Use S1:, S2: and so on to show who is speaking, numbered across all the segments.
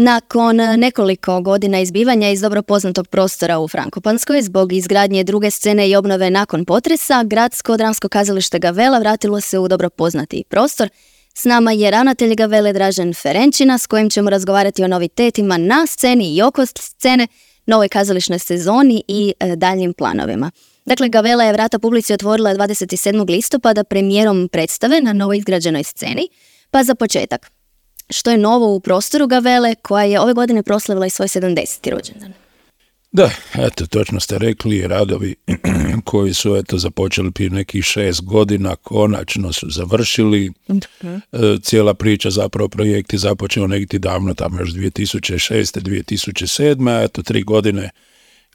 S1: Nakon nekoliko godina izbivanja iz dobro poznatog prostora u Frankopanskoj zbog izgradnje druge scene i obnove nakon potresa, Gradsko dramsko kazalište Gavella vratilo se u dobro poznati prostor. S nama je ravnatelj Gavelle Dražen Ferenčina s kojim ćemo razgovarati o novitetima na sceni i oko scene, novoj kazališnoj sezoni i daljnjim planovima. Dakle, Gavella je vrata publici otvorila 27. listopada premijerom predstave na novo izgrađenoj sceni. Pa za početak, što je novo u prostoru Gavelle koja je ove godine proslavila i svoj 70. rođendan?
S2: Da, eto, točno ste rekli, radovi koji su započeli prije nekih 6 godina, konačno su završili. Cijela priča, zapravo projekt je započeo negdje davno, tamo još 2006. 2007. Eto, 3 godine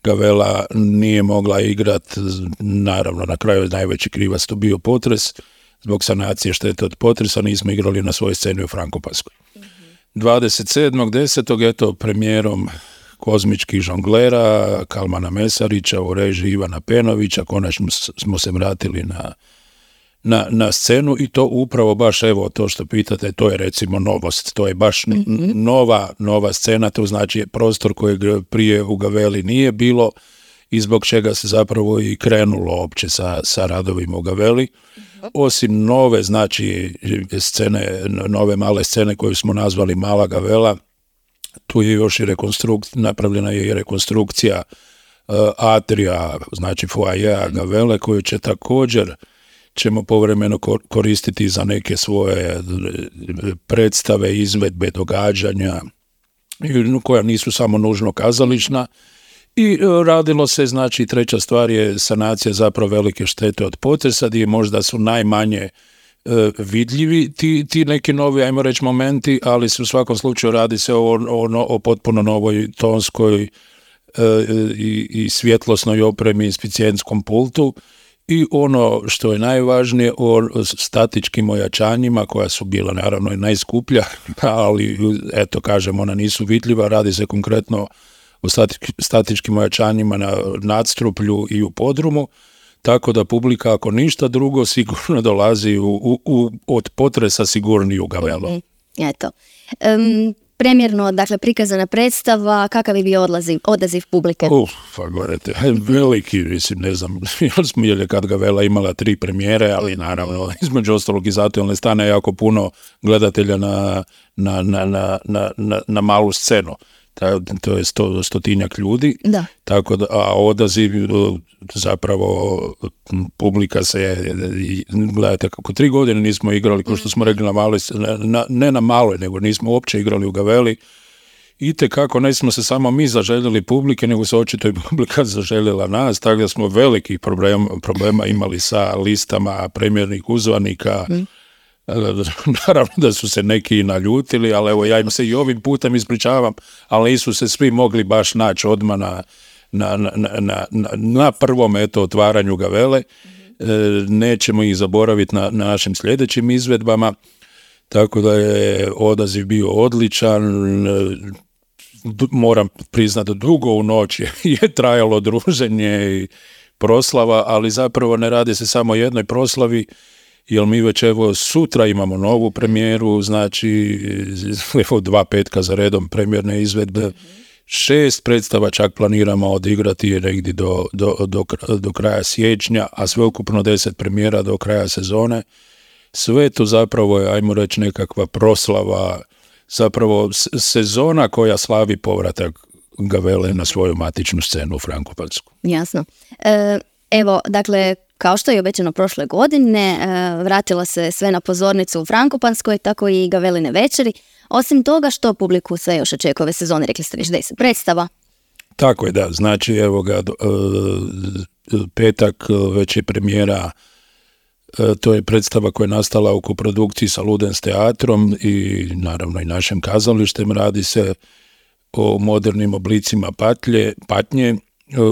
S2: Gavella nije mogla igrati, naravno na kraju najveći krivac to bio potres. Zbog sanacije štete od potresa nismo igrali na svojoj sceni u Frankopanskoj. 27.10. eto, premijerom Kozmičkih žonglera Kalmana Mesarića u režiji Ivana Penovića konačno smo se vratili na scenu i to upravo baš, evo, to što pitate, to je recimo novost, to je baš nova scena, to znači prostor kojeg prije u Gavelli nije bilo i zbog čega se zapravo i krenulo opće sa radovima u Gavelli. Osim nove, znači, scene, nove male scene koju smo nazvali Mala Gavella, tu je još i napravljena je i rekonstrukcija atrija, znači foajea Gavelle, koju će također ćemo povremeno koristiti za neke svoje predstave, izvedbe, događanja, koja nisu samo nužno kazališna. I radilo se, znači, treća stvar je sanacija zapravo velike štete od potresa, gdje možda su najmanje vidljivi ti neki novi, ajmo reći, momenti, ali se u svakom slučaju radi se o potpuno novoj tonskoj i svjetlosnoj opremi, inspicijentskom pultu i ono što je najvažnije o statičkim ojačanjima koja su bila naravno i najskuplja, ali eto kažem, ona nisu vidljiva, radi se konkretno o statičkim ojačanjima na nadstruplju i u podrumu, tako da publika, ako ništa drugo, sigurno dolazi od potresa sigurniji u Gavellu.
S1: Eto. Premjerno, dakle, prikazana predstava, kakav je bio odaziv publike?
S2: Pa govorite, veliki, mislim, ne znam, jer je kad Gavella imala 3 premijere, ali naravno, između ostalog i zato jer ne stane jako puno gledatelja na malu scenu. To je 100-tinjak ljudi, da. Tako da, a odaziv zapravo publika se, gledajte, kako 3 godine nismo igrali, kao što smo rekli, ne na maloj, nego nismo uopće igrali u Gavelli. Itekako ne smo se samo mi zaželjeli publike, nego se očito i publika zaželjela nas, tako da smo velikih problema imali sa listama premijernih uzvanika. Naravno da su se neki naljutili, ali evo, ja im se i ovim putem ispričavam, ali nisu se svi mogli baš naći odmah na prvom otvaranju Gavelle. Nećemo ih zaboraviti na našim sljedećim izvedbama, tako da je odaziv bio odličan. Moram priznati, dugo u noć je trajalo druženje i proslava, ali zapravo ne radi se samo o jednoj proslavi, jer mi već evo sutra imamo novu premijeru, znači evo 2 petka za redom premijerne izvedbe, 6 predstava čak planiramo odigrati negdje do kraja siječnja, a sveukupno 10 premijera do kraja sezone. Sve to zapravo je, ajmo reći, nekakva proslava, zapravo sezona koja slavi povratak Gavelle na svoju matičnu scenu u Frankopansku.
S1: Jasno. Evo, dakle, kao što je obećano prošle godine, vratila se sve na pozornicu u Frankopanskoj, tako i Gavelline večeri. Osim toga, što publiku sve još očekuje ove sezone, rekli ste već 10 predstava.
S2: Tako je, da. Znači, evo ga, petak već je premijera, to je predstava koja je nastala u koprodukciji sa Ludens teatrom i naravno i našim kazalištem. Radi se o modernim oblicima patnje,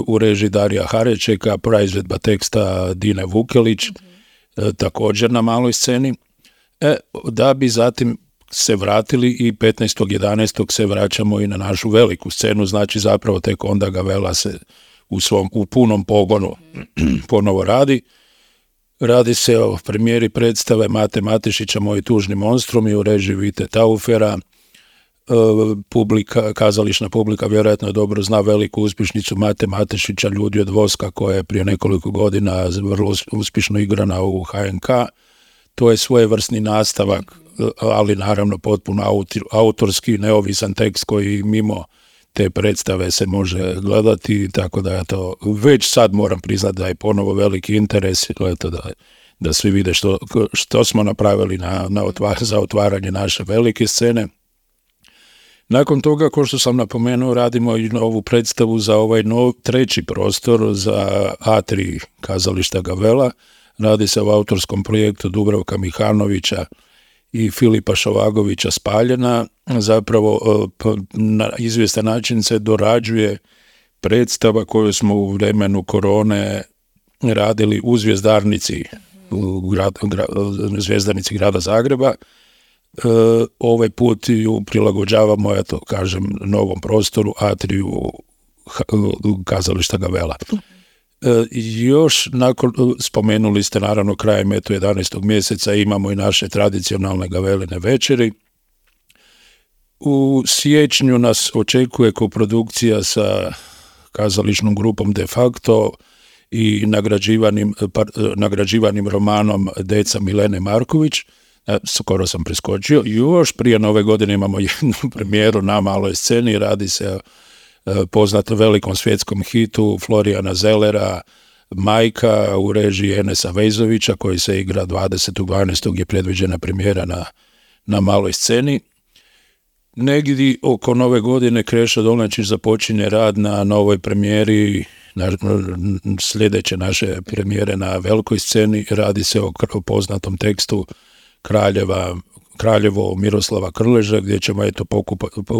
S2: u režiji Darija Harečeka, praizvedba teksta Dine Vukelić, također na maloj sceni, da bi zatim se vratili i 15.11. se vraćamo i na našu veliku scenu, znači zapravo tek onda Gavella se u punom pogonu ponovo radi. Radi se o premijeri predstave Mate Matešića Moji tužni monstrumi u režiji Vite Taufera, kazališna publika vjerojatno dobro zna veliku uspješnicu Mate Matešića, Ljudi od voska, koja je prije nekoliko godina vrlo uspješno igrana u HNK. To je svojevrsni nastavak, ali naravno potpuno autorski, neovisan tekst koji mimo te predstave se može gledati, tako da ja to već sad moram priznati da je ponovo veliki interes, da svi vide što smo napravili za otvaranje naše velike scene. Nakon toga, kao što sam napomenuo, radimo i novu predstavu za ovaj treći prostor za A3 kazališta Gavella. Radi se o autorskom projektu Dubravka Mihanovića i Filipa Šovagovića Spaljena. Zapravo na izvjestan način se dorađuje predstava koju smo u vremenu korone radili u Zvjezdarnici, Zvjezdarnici grada Zagreba. Ovaj put ju prilagođavamo, novom prostoru, atriju kazališta Gavella. Još spomenuli ste naravno krajem 11. mjeseca imamo i naše tradicionalne Gaveline večeri. U siječnju nas očekuje koprodukcija sa kazališnom grupom De facto i nagrađivanim romanom Deca Milene Marković. Skoro sam preskočio. Još prije Nove godine imamo jednu premijeru na maloj sceni. Radi se o poznatom velikom svjetskom hitu Florijana Zellera, Majka, u režiji Enesa Vejzovića, koji se igra 20.12. je predviđena premijera na maloj sceni. Negdje oko Nove godine Krešo Dolnačić započinje rad na novoj premijeri, sljedeće naše premijere na velikoj sceni. Radi se o poznatom tekstu Kraljevo Miroslava Krleža, gdje ćemo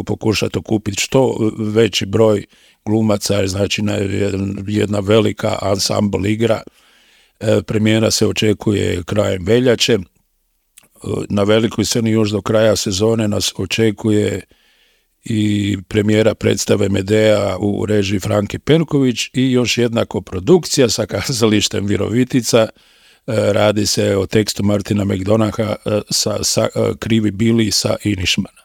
S2: pokušati okupiti što veći broj glumaca, znači jedna velika ansambl igra. Premijera se očekuje krajem veljače. Na velikoj sceni još do kraja sezone nas očekuje i premijera predstave Medea u režiji Franke Perković i još jedna koprodukcija sa kazalištem Virovitica. Radi se o tekstu Martina McDonaha sa Krivi Bili sa Inišmana.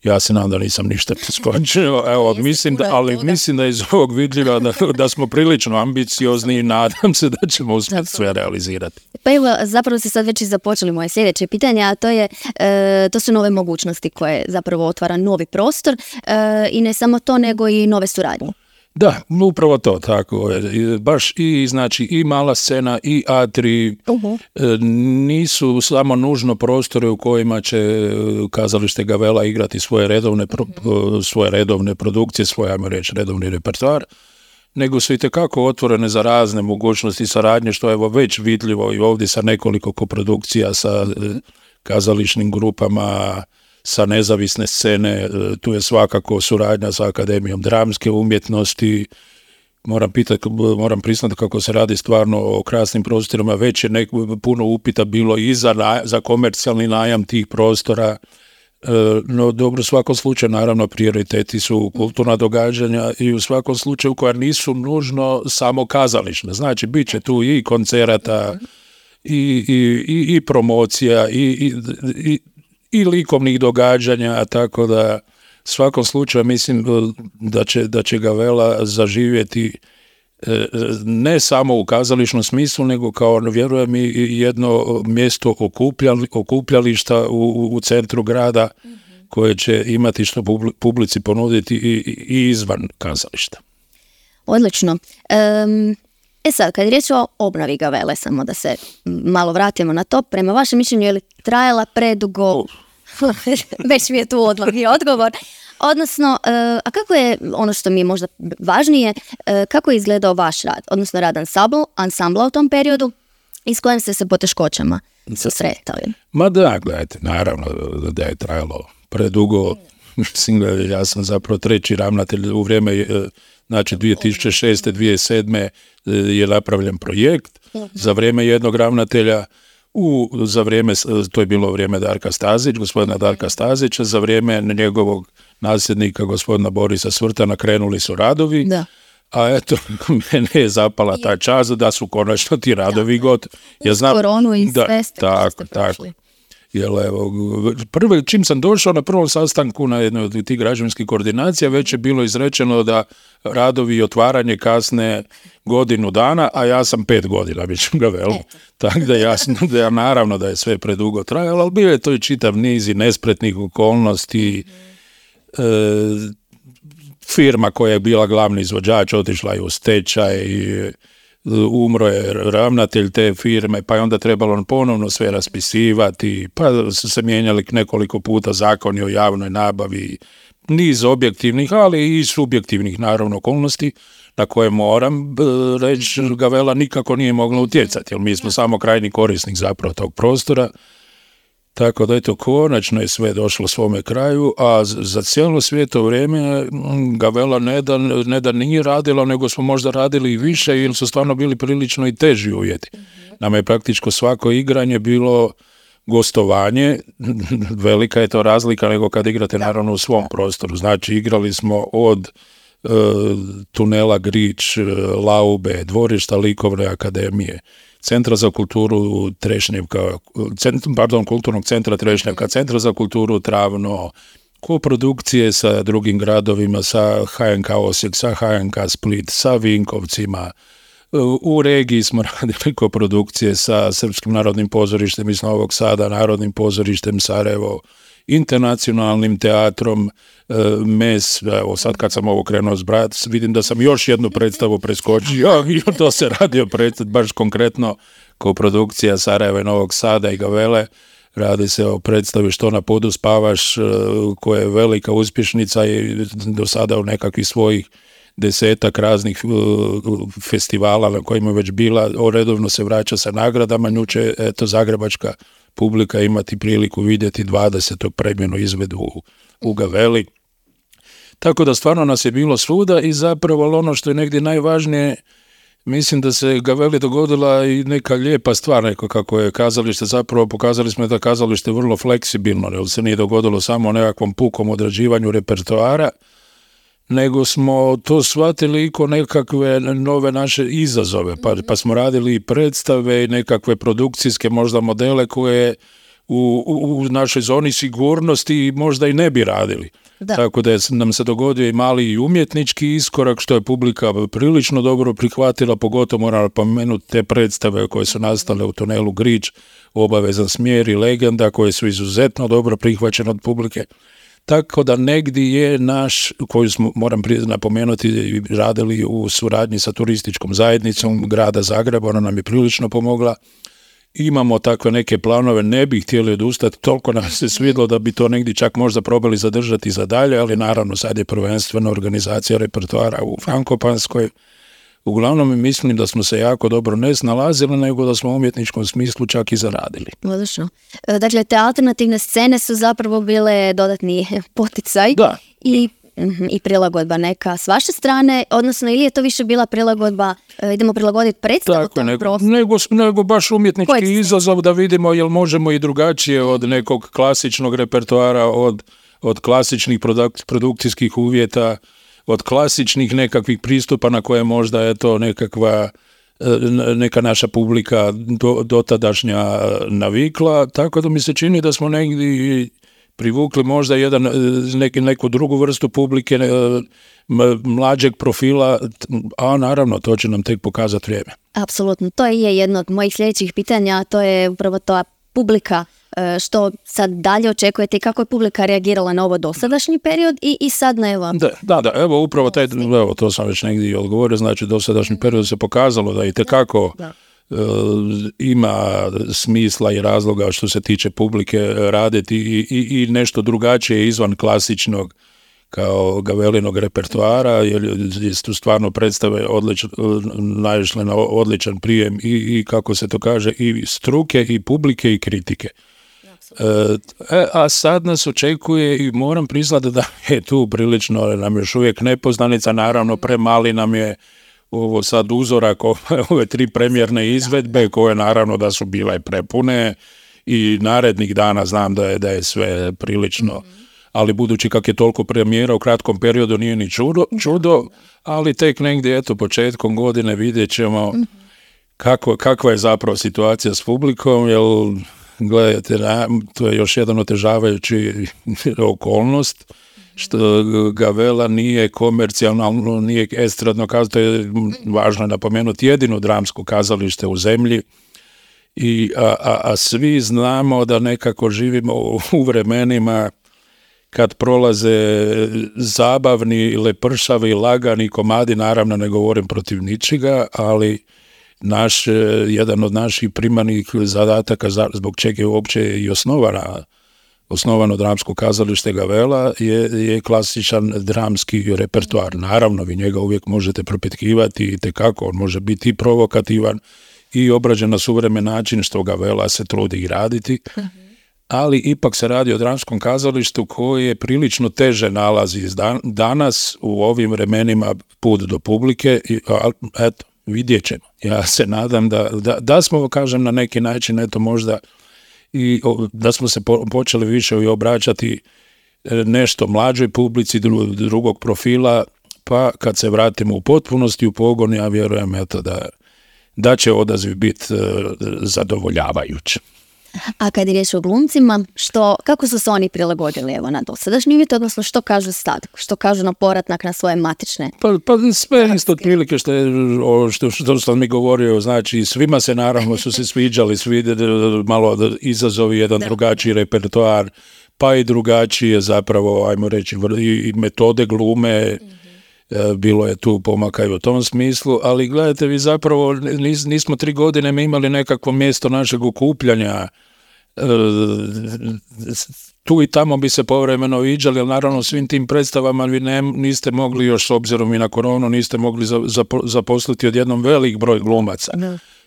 S2: Ja se nadam da nisam ništa preskočio, mislim da je iz ovog vidljiva da smo prilično ambiciozni i nadam se da ćemo uspjeti sve realizirati.
S1: Pa evo, zapravo ste sad već i započeli moje sljedeće pitanje, a to su nove mogućnosti koje zapravo otvara novi prostor i ne samo to, nego i nove suradnje.
S2: Da, upravo to, tako je. Baš i mala scena i atrij nisu samo nužno prostore u kojima će kazalište Gavella igrati svoje redovne produkcije, redovni repertoar, nego su itekako otvorene za razne mogućnosti saradnje, što je već vidljivo i ovdje sa nekoliko koprodukcija sa kazališnim grupama, sa nezavisne scene. Tu je svakako suradnja sa Akademijom dramske umjetnosti. Moram priznati kako se radi stvarno o krasnim prostorima. Već je puno upita bilo i za komercijalni najam tih prostora. No dobro, u svakom slučaju naravno prioriteti su kulturna događanja i u svakom slučaju koja nisu nužno samo kazališne. Znači, bit će tu i koncerata i promocija i likovnih događanja, tako da u svakom slučaju mislim da će Gavella zaživjeti ne samo u kazališnom smislu, nego kao, vjerujem, i jedno mjesto okupljališta u centru grada koje će imati što publici ponuditi i izvan kazališta.
S1: Odlično. Sad, kad je riječ o obnovi Gavelle, samo da se malo vratimo na to, prema vašem mišljenju je li trajala predugo? Već mi je tu odmah i odgovor. Odnosno, a kako je, ono što mi je možda važnije, kako je izgledao vaš rad, odnosno rad ansambla u tom periodu i s kojim ste se poteškoćama susretali?
S2: Ma da, gledajte, naravno da je trajalo predugo. Mislim, ja sam zapravo treći ravnatelj u vrijeme, znači 2006. 2007. je napravljen projekt za vrijeme jednog ravnatelja. To je bilo vrijeme gospodina Darka Stazića, za vrijeme njegovog nasljednika, gospodina Borisa Svrtana, krenuli su radovi, a eto, mene je zapala ta čast da su konačno ti radovi gotovi.
S1: Ja znam, koronu i sve ste
S2: tako. Jer evo, čim sam došao na prvom sastanku na jednoj od tih građevinskih koordinacija, već je bilo izrečeno da radovi i otvaranje kasne godinu dana, a ja sam 5 godina već u Gavelu. Tako da jasno da naravno da je sve predugo trajalo, ali bio je to i čitav niz i nespretnih okolnosti. Firma koja je bila glavni izvođač otišla je u stečaj, umro je ravnatelj te firme, pa je onda trebalo ponovno sve raspisivati, pa su se mijenjali nekoliko puta zakoni o javnoj nabavi, niz objektivnih, ali i subjektivnih naravno okolnosti na koje moram reći Gavela nikako nije mogla utjecati, jer mi smo samo krajnji korisnik zapravo tog prostora. Tako da eto, konačno je sve došlo svome kraju, a za cijelo svijeto vrijeme Gavela ne da nije radila, nego smo možda radili i više, jer su stvarno bili prilično i teži uvjeti. Nama je praktičko svako igranje bilo gostovanje, velika je to razlika nego kad igrate naravno u svom prostoru. Znači igrali smo od tunela Grič, Laube, dvorišta Likovne akademije, Centra za kulturu Trešnjevka, Kulturnog centra Trešnjevka, Centra za kulturu Travno, koprodukcije sa drugim gradovima, sa HNK Osijek, sa HNK Split, sa Vinkovcima. U regiji smo radili koprodukcije sa Srpskim narodnim pozorištem iz Novog Sada, Narodnim pozorištem Sarajevo, Internacionalnim teatrom MES. Evo sad kad sam ovo krenuo zbrajati, vidim da sam još jednu predstavu preskočio i to se radio baš konkretno koprodukcija Sarajeva i Novog Sada i Gavele. Radi se o predstavi Što na podu spavaš, koja je velika uspješnica i do sada u nekakvih svojih 10 raznih festivala na kojima je već bila, redovno se vraća sa nagradama. Nju će zagrebačka publika imati priliku vidjeti 20. premijenu izvedu u Gaveli. Tako da stvarno nas je bilo svuda i zapravo ono što je negdje najvažnije, mislim da se Gaveli dogodila i neka lijepa stvar, neko kako je kazalište, zapravo pokazali smo da kazalište je vrlo fleksibilno, jer se nije dogodilo samo o nekakvom pukom odrađivanju repertoara, nego smo to shvatili i ko nekakve nove naše izazove, pa smo radili i predstave i nekakve produkcijske možda modele koje u našoj zoni sigurnosti možda i ne bi radili. Da. Tako da nam se dogodio i mali i umjetnički iskorak, što je publika prilično dobro prihvatila, pogotovo moram pomenuti te predstave koje su nastale u tunelu Grič, Obavezan smjer i Legenda, koje su izuzetno dobro prihvaćene od publike. Tako da negdje je naš, koju smo, moram napomenuti, radili u suradnji sa turističkom zajednicom grada Zagreba, ona nam je prilično pomogla. Imamo takve neke planove, ne bi htjeli odustati, toliko nam se svidlo da bi to negdje čak možda probali zadržati za dalje, ali naravno sad je prvenstveno organizacija repertoara u Frankopanskoj. Uglavnom mislim da smo se jako dobro ne snalazili, nego da smo u umjetničkom smislu čak i zaradili.
S1: Odlično. Dakle, te alternativne scene su zapravo bile dodatni poticaj.
S2: Da.
S1: I prilagodba neka s vaše strane, odnosno ili je to više bila prilagodba, idemo prilagoditi predstavu tog prostora?
S2: Nego baš umjetnički izazov da vidimo jel možemo i drugačije od nekog klasičnog repertoara, od klasičnih produkcijskih uvjeta, od klasičnih nekakvih pristupa na koje možda je to neka naša publika dotadašnja navikla, tako da mi se čini da smo negdje privukli možda neku drugu vrstu publike, mlađeg profila, a naravno to će nam tek pokazati vrijeme.
S1: Apsolutno, to je jedno od mojih sljedećih pitanja, a to je upravo ta publika. Što sad dalje očekujete i kako je publika reagirala na ovo dosadašnji period i sad na evo?
S2: Da, evo upravo to sam već negdje odgovorio, znači dosadašnji period se pokazalo da itekako ima smisla i razloga što se tiče publike raditi i nešto drugačije izvan klasičnog kao Gavelinog repertoara, jer su stvarno predstave naišle na odličan prijem i kako se to kaže, i struke, i publike, i kritike. A sad nas očekuje i moram priznati da je tu prilično, nam još uvijek nepoznanica, naravno premali nam je ovo sad uzorak ove 3 premijerne izvedbe koje naravno da su bile prepune i narednih dana znam da je sve prilično, ali budući kak je toliko premijera u kratkom periodu nije ni čudo, ali tek negdje početkom godine vidjet ćemo kakva je zapravo situacija s publikom, jer gledajte, to je još jedan otežavajući okolnost, što Gavella nije komercijalno, nije estradno kazalište, to je važno napomenuti, jedino dramsko kazalište u zemlji, a svi znamo da nekako živimo u vremenima kad prolaze zabavni, lepršavi, lagani komadi, naravno ne govorim protiv ničega, ali jedan od naših primarnih zadataka zbog čega je uopće i osnovano dramsko kazalište Gavella je klasičan dramski repertoar. Naravno, vi njega uvijek možete propitkivati i tekako, on može biti i provokativan i obrađen na suvremen način, što Gavella se trudi i raditi, ali ipak se radi o dramskom kazalištu koje prilično teže nalazi danas u ovim vremenima put do publike, eto, vidjet ćemo. Ja se nadam da smo, kažem, na neki način, eto možda, i da smo se počeli više i obraćati nešto mlađoj publici drugog profila, pa kad se vratimo u potpunosti u pogon, ja vjerujem eto da će odaziv biti zadovoljavajući.
S1: A kad je riječ o glumcima, kako su se oni prilagodili na dosadašnji uvjet, odnosno što kažu sad, što kažu na povratak na svoje matične?
S2: Pa sve isto otprilike što sam mi govorio, znači svima se naravno su se sviđali, malo izazovi, jedan drugačiji repertoar, pa i drugačije zapravo, ajmo reći, i metode glume, bilo je tu pomaka i u tom smislu, ali gledajte, vi zapravo nismo 3 godine mi imali nekakvo mjesto našeg okupljanja, tu i tamo bi se povremeno viđali, ali naravno svim tim predstavama vi niste mogli još, s obzirom i na koronu, niste mogli zaposliti odjednom velik broj glumaca.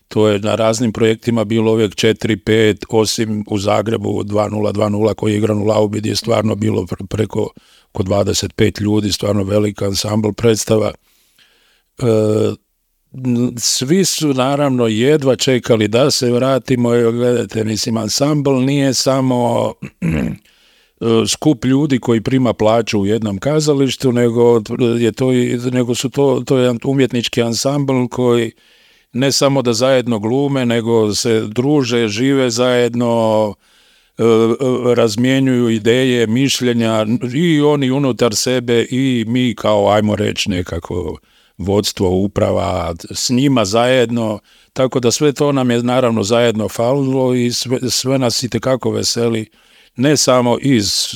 S2: To je na raznim projektima bilo uvijek 4-5, osim u Zagrebu 2:0 koji je igran u Laubi, gdje je stvarno bilo preko oko 25 ljudi, stvarno velika ansambl predstava. Svi su naravno jedva čekali da se vratimo, gledajte, mislim, ansambl nije samo skup ljudi koji prima plaću u jednom kazalištu, nego to je jedan umjetnički ansambl koji ne samo da zajedno glume, nego se druže, žive zajedno, razmjenjuju ideje, mišljenja, i oni unutar sebe i mi kao, ajmo reći, nekako vodstvo, uprava, s njima zajedno, tako da sve to nam je naravno zajedno falilo i sve nas itekako veseli, ne samo iz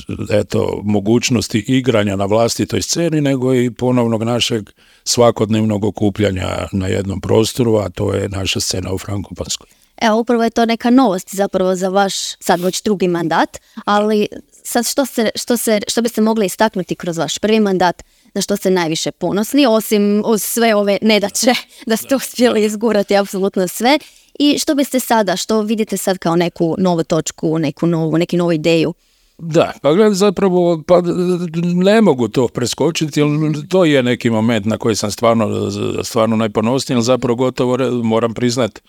S2: mogućnosti igranja na vlastitoj sceni, nego i ponovnog našeg svakodnevnog okupljanja na jednom prostoru, a to je naša scena u Frankopanskoj.
S1: Evo, upravo je to neka novost zapravo za vaš sad već drugi mandat, ali sad što biste mogli istaknuti kroz vaš prvi mandat, na što ste najviše ponosni, osim uz sve ove nedaće da ste uspjeli izgurati apsolutno sve, i što biste sada, što vidite sad kao neku novu točku, neku novu ideju?
S2: Da, pa gledaj, zapravo ne mogu to preskočiti, jer to je neki moment na koji sam stvarno najponosniji, ali zapravo gotovo moram priznati,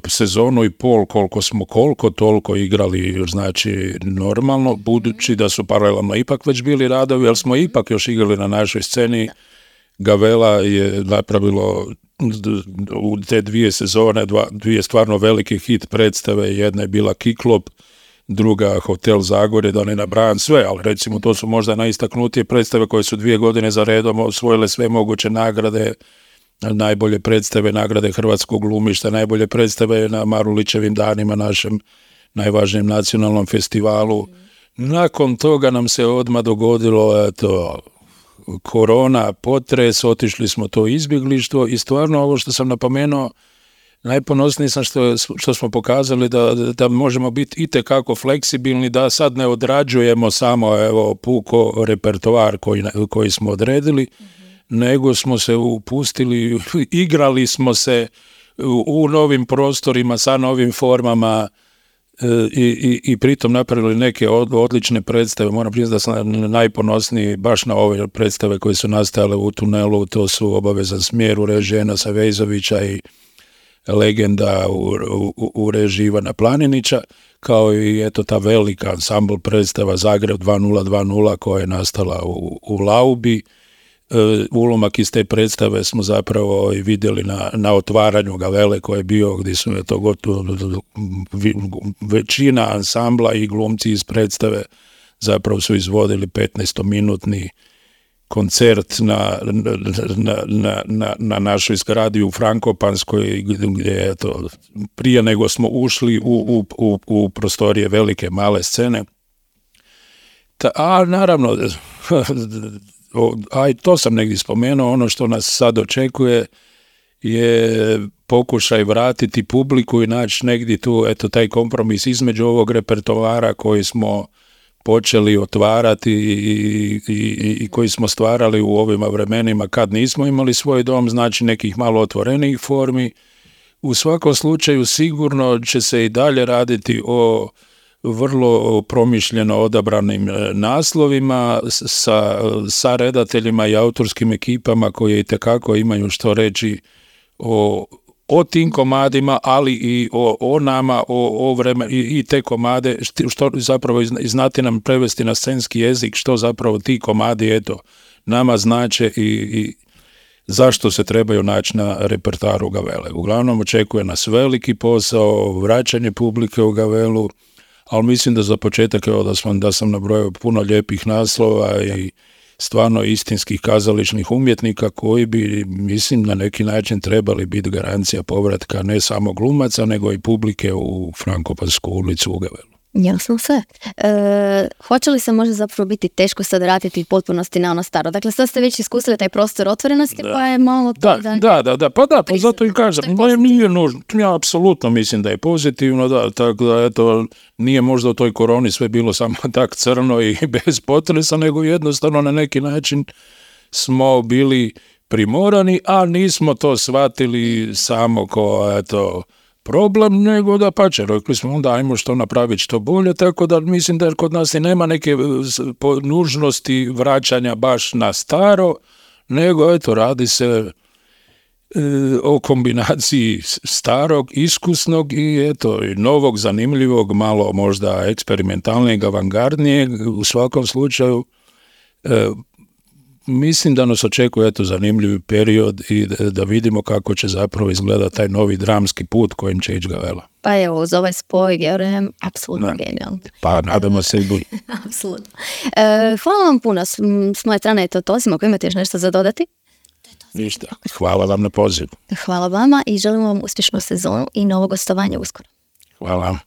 S2: sezonu i pol koliko toliko igrali, znači normalno, budući da su paralelno ipak već bili radovi, ali smo ipak još igrali na našoj sceni. Gavella je napravilo u te 2 sezone, 2 stvarno velike hit predstave, jedna je bila Kiklop, druga Hotel Zagorje, da ne nabrajam sve, ali recimo to su možda najistaknutije predstave koje su 2 godine za redom osvojile sve moguće nagrade, najbolje predstave, nagrade hrvatskog glumišta, najbolje predstave na Marulićevim danima, našem najvažnijem nacionalnom festivalu. Nakon toga nam se odmah dogodilo korona, potres, otišli smo to izbjeglištvo i stvarno ovo što sam napomenuo, najponosniji sam što smo pokazali da možemo biti itekako fleksibilni, da sad ne odrađujemo samo puko repertoar koji smo odredili, nego smo se upustili, igrali smo se u novim prostorima, sa novim formama i pritom napravili neke odlične predstave. Moram priznati da sam najponosniji baš na ove predstave koje su nastajale u tunelu, to su Obavezan smjer u režiji Enasa Vejzovića i Legenda u režiji Ivana Planinića, kao i ta velika ansambl predstava Zagreb 2:0 koja je nastala u Laubi. ulomak iz te predstave smo zapravo i vidjeli na otvaranju Gavele koji je bio, gdje su to gotovo većina ansambla i glumci iz predstave zapravo su izvodili 15-minutni koncert na našoj zgradi u Frankopanskoj, gdje je to prije nego smo ušli u prostorije velike male scene. A naravno, a i to sam negdje spomenuo, ono što nas sad očekuje je pokušaj vratiti publiku i naći negdje tu, eto, taj kompromis između ovog repertoara koji smo počeli otvarati i koji smo stvarali u ovim vremenima kad nismo imali svoj dom, znači nekih malo otvorenijih formi. U svakom slučaju sigurno će se i dalje raditi o vrlo promišljeno odabranim naslovima sa redateljima i autorskim ekipama koje itekako imaju što reći o tim komadima, ali i o nama, o vremenu i te komade, što zapravo znati nam prevesti na scenski jezik, što zapravo ti komadi, eto, nama znače i zašto se trebaju naći na repertoaru Gavele. Uglavnom očekuje nas veliki posao, vraćanje publike u Gavelu, ali mislim da za početak, evo, da sam nabrojao puno lijepih naslova i stvarno istinskih kazališnih umjetnika koji bi, mislim, na neki način trebali biti garancija povratka ne samo glumaca, nego i publike u Frankopansku ulicu u Gavelu.
S1: Jasno sve. Hoće li se možda zapravo biti teško sad vratiti u potpunosti na ono staro? Dakle, sad ste već iskusili taj prostor otvorenosti, pa je malo to
S2: pa zato i kažem, nije nužno. Ja apsolutno mislim da je pozitivno, da, tako da, eto, nije možda u toj koroni sve bilo samo tak crno i bez potresa, nego jednostavno na neki način smo bili primorani, a nismo to shvatili samo kao, eto, problem, nego da pače, rekli smo onda ajmo što napraviti što bolje, tako da mislim da kod nas i nema neke nužnosti vraćanja baš na staro, nego eto, radi se o kombinaciji starog, iskusnog i eto, i novog, zanimljivog, malo možda eksperimentalnijeg, avangardnijeg, u svakom slučaju mislim da nas očekuje eto zanimljiv period i da vidimo kako će zapravo izgledati taj novi dramski put kojim će ići Gavela.
S1: Pa evo, uz ovaj spoj, vjerujem, apsolutno genijalno.
S2: Pa nadamo se i bolje.
S1: Apsolutno. Hvala vam puno. S moje strane je to Tosimo. Ako imate još nešto za dodati?
S2: Ništa. Hvala vam na pozivu.
S1: Hvala vama i želim vam uspješnu sezonu i novo gostovanje uskoro.
S2: Hvala.